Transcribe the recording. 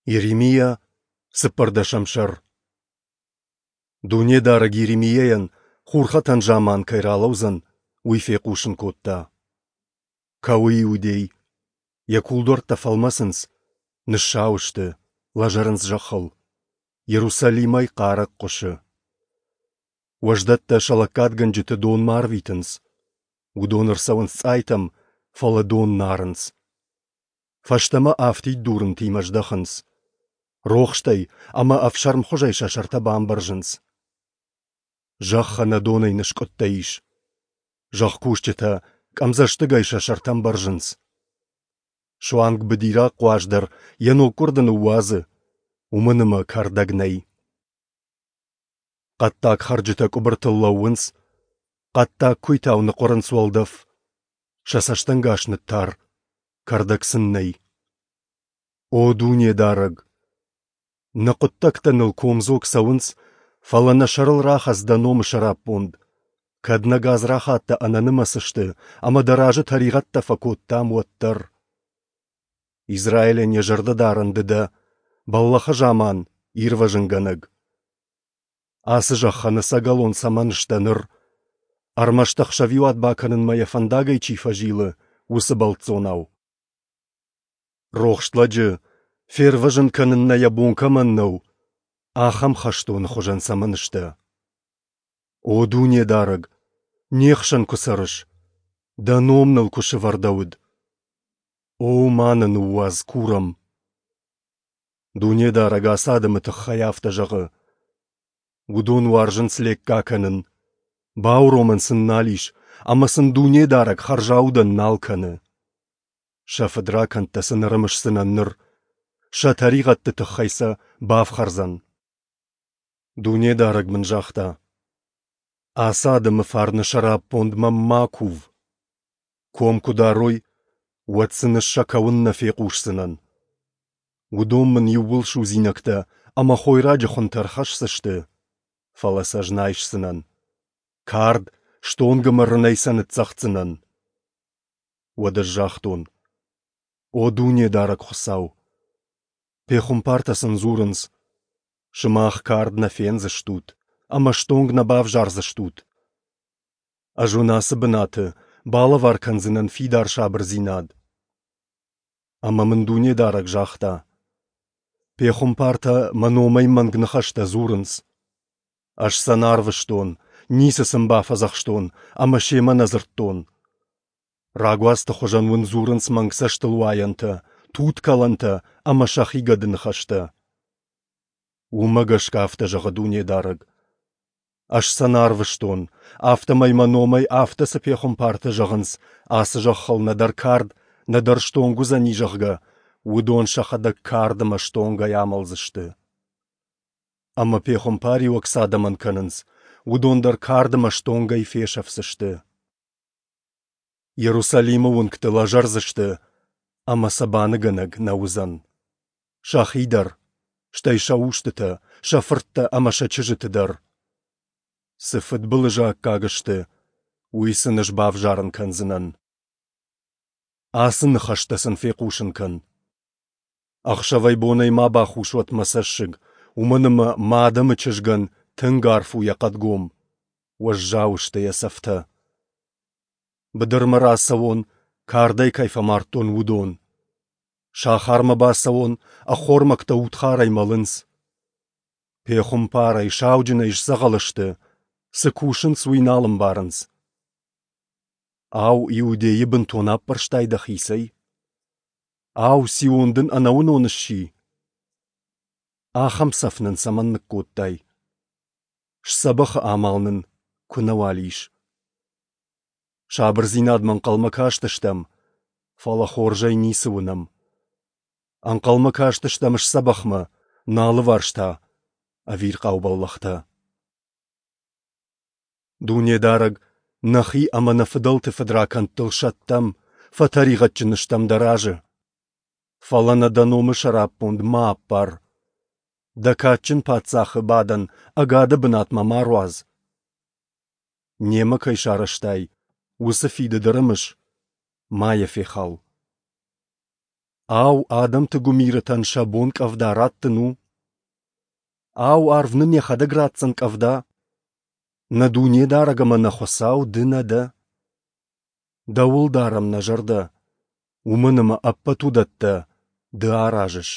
Йеремиа, цыппӕрдӕсӕм сӕр. Дунедарӕг Йеремиайӕн, хурхӕтӕн заман кӕй ралӕудзӕн, уый фехъусын кодта. Кӕуы Иудей. Йӕ кулдуӕрттӕ фӕлмӕцынц, ныссау сты, лӕзӕрынц зӕххыл. Иерусалимӕй хъарӕг хъуысы. Уӕздӕттӕ сӕ лӕггадгӕнджыты донмӕ арвитынц. Уыдон ӕрцӕуынц цъайтӕм, фӕлӕ дон нӕ арынц. Фӕстӕмӕ афтид дурынтимӕ здӕхынц. Рохстӕй ӕмӕ ӕфсӕрмхуызӕй сӕ сӕртӕ бамбӕрзынц. Зӕхх ӕнӕ донӕй ныскъуыдтӕ ис. Зӕхкусджытӕ къӕмдзӕстыгӕй сӕ сӕртӕ ӕмбӕрзынц. Суанг быдираг хъуаз дӕр йӕ ноггуырды ныууадзы, уымӕн ӕмӕ кӕрдӕг нӕй. Хъӕддаг хӕрджытӕ къуыбыртыл лӕууынц, хъӕддаг куыйтау ныхъуырынц уӕлдӕф, сӕ цӕстӕнгас ныттар, кӕрдӕг сын нӕй. О Дунедарӕг! Нӕ хъуыддӕгтӕ ныл комдзог цӕуынц, фӕлӕ нӕ сӕрыл рахӕц дӕ номы сӕраппонд. Кӕд нӕ гадзрахаттӕ ӕнӕнымӕц сты ӕмӕ дӕ разы тӕригъӕдтӕ фӕкодтам, уӕддӕр. Израилӕн йӕ зӕрдӕдарӕн ды дӕ, бӕллӕхы заман ирвӕзынгӕнӕг. Ацы зӕххӕн ӕцӕгӕлон цӕмӕн сдӕ ныр? Ӕрмӕст ӕхсӕвиуат бакӕнынмӕ йӕ фӕндагӕй чи фӕзилы, уыцы бӕлццонау. Рохст лӕджы фервӕзын кӕнын нӕ йӕ бон кӕмӕн нӕу, ахӕм хӕстоны хуызӕн цӕмӕн сдӕ? О Дунедарӕг, не хсӕн куы цӕрыс, дӕ ном ныл куы сӕвӕрдӕуыд. О, ма нӕ ныууадз, курӕм. Дунедарӕг ацы адӕмы тыххӕй афтӕ зӕгъы: Уыдон уарзынц лекка кӕнын, бауромӕн сын нал ис, ӕмӕ сын Дунедарӕг хӕрзаудӕн нал кӕны. Сӕ фыдракӕндтӕ сын ӕрымысдзынӕн ныр, сӕ тӕригъӕдты тыххӕй сӕ бафхӕрдзӕн. Дунедарӕг мын загъта: Ацы адӕмы фарны сӕраппонд мӕм ма кув. Ком куы дарой, уӕд сын ӕз сӕ кӕуын нӕ фехъусдзынӕн. Уыдон мын иууыл судзинӕгтӕ ӕмӕ хойраджы хуынтӕ ӕрхӕсдзысты, фӕлӕ сӕ ӕз нӕ айсдзынӕн. Кард, стонг ӕмӕ рынӕй сӕ ныццӕгъддзынӕн. Уӕд ӕз загътон: О Дунедарӕг Хуыцау! Пехуымпартӕ сын дзурынц: Сымах кард нӕ фендзыстут ӕмӕ стонг нӕ бавзардзыстут. Ӕз уын ацы бынаты балӕвар кӕндзынӕн фидар сабырдзинад. Ӕмӕ мын Дунедарӕг загъта: Пехуымпартӕ мӕ номӕй мӕнг ныхӕстӕ дзурынц. Ӕз сӕ нӕ арвыстон, ницы сын бафӕдзӕхстон ӕмӕ семӕ нӕ дзырдтон. Рагуацты хуызӕн уын дзурынц мӕнг цӕстылуайӕнтӕ, туткӕлӕнтӕ ӕмӕ сӕхи гӕдыныхӕстӕ. Уымӕ гӕсгӕ афтӕ зӕгъы Дунедарӕг: Ӕз сӕ нӕ арвыстон, афтӕмӕй мӕ номӕй афтӕ цы пехуымпартӕ зӕгъынц, ацы зӕххыл нӕдӕр кард, нӕдӕр стонг уыдзӕни, зӕгъгӕ, уыдон сӕхӕдӕг кард ӕмӕ стонгӕй амӕлдзысты. Ӕмӕ пехуымпариуӕг цы адӕмӕн кӕнынц, уыдон дӕр кард ӕмӕ стонгӕй фесӕфдзысты. Иерусалимы уынгты лӕзӕрдзысты, ӕмӕ сӕ баныгӕнӕг нӕ уыдзӕн. Сӕхи дӕр, стӕй сӕ устытӕ, сӕ фырттӕ ӕмӕ сӕ чызджыты дӕр. Цы фыдбылызы аккаг сты, уый сын ӕз бавзарын кӕндзынӕн. Ацы ныхӕстӕ сын фехъусын кӕн. Ӕхсӕвӕй-бонӕй ма бахус уӕд мӕ цӕссыг, уымӕн ӕмӕ мӕ адӕмы чызгӕн тынг арф у йӕ хъӕдгом, уӕззау сты йӕ цӕфтӕ. Быдырмӕ рацӕуон, кардӕй кӕй фӕмардтон, уыдон. Сахармӕ бацӕуон, ӕххормӕгтӕ удхарӕй мӕлынц. Пехуымпарӕй, сауджынӕй сдзӕгъӕл сты, цы кусынц, уый нал ӕмбарынц. Ау, Иудейы бынтон аппӕрстай дӕхицӕй? Ау, Сион дын ӕнӕуынон сси? Ахӕм цӕф нын цӕмӕн ныккодтай? Сдзӕбӕхы амал нын куы нӕуал ис. Сабырдзинадмӕ ӕнхъӕлмӕ кастыстӕм, фӕлӕ хорзӕй ницы уынӕм. Ӕнхъӕлмӕ кастыстӕм сдзӕбӕхмӕ, нӕ алыварс та ӕвирхъау бӕллӕхтӕ. Дунедарӕг, нӕхи ӕмӕ нӕ фыдӕлты фыдракӕндтыл сӕттӕм, фӕтӕригъӕдджын стӕм дӕ разы. Фӕлӕ нӕ дӕ номы сӕраппонд ма аппар. Дӕ кадджын паддзахы бадӕн ӕгады бынатмӕ ма руадз. Немӕ кӕй сарӕзтай, уыцы фидыд ӕрымыс, ма йӕ фехал. Ау, адӕмты гуымирытӕн сӕ бон къӕвда раттын у? Ау, арв нын йӕхӕдӕг ратдзӕн къӕвда? Нӕ Дунедарӕг ӕмӕ нӕ Хуыцау Ды нӕ дӕ? Дӕуыл дарӕм нӕ зӕрдӕ, уымӕн ӕмӕ ӕппӕт уыдӕттӕ Ды аразыс.